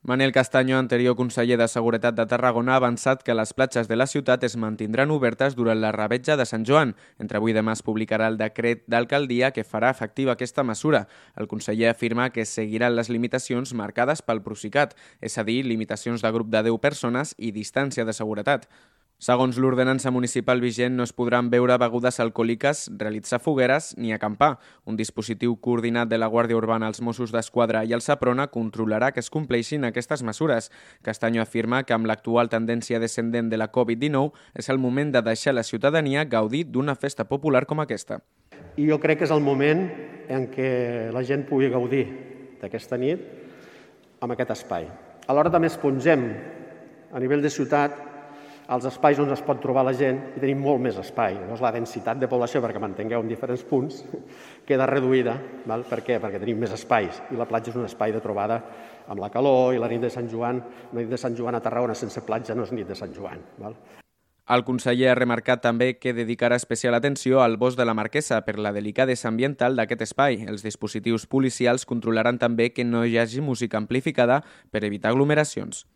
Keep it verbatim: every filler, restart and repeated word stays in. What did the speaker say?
Manel Castaño, anterior conseller de Seguretat de Tarragona, ha avançat que les platges de la ciutat es mantindran obertes durant la revetja de Sant Joan. Entre avui i demà es publicarà el decret d'alcaldia que farà efectiva aquesta mesura. El conseller afirma que seguiran les limitacions marcades pel Procicat, és a dir, limitacions de grup de deu persones i distància de seguretat. Segons l'ordenança municipal vigent, no es podran beure begudes alcohòliques, realitzar fogueres ni acampar. Un dispositiu coordinat de la Guàrdia Urbana, els Mossos d'Esquadra i el Seprona controlarà que es compleixin aquestes mesures. Castaño afirma que amb l'actual tendència descendent de la covid dinou és el moment de deixar la ciutadania gaudir d'una festa popular com aquesta. I jo crec que és el moment en què la gent pugui gaudir d'aquesta nit amb aquest espai. Alhora també espongem a nivell de ciutat els espais on es pot trobar la gent i tenim molt més espai. Llavors, la densitat de població, perquè m'entengueu en diferents punts, queda reduïda. Val? Per què? Perquè tenim més espais i la platja és un espai de trobada amb la calor i la nit de Sant Joan, la nit de Sant Joan a Tarragona sense platja no és nit de Sant Joan. Val? El conseller ha remarcat també que dedicarà especial atenció al bosc de la Marquesa per la delicadesa ambiental d'aquest espai. Els dispositius policials controlaran també que no hi hagi música amplificada per evitar aglomeracions.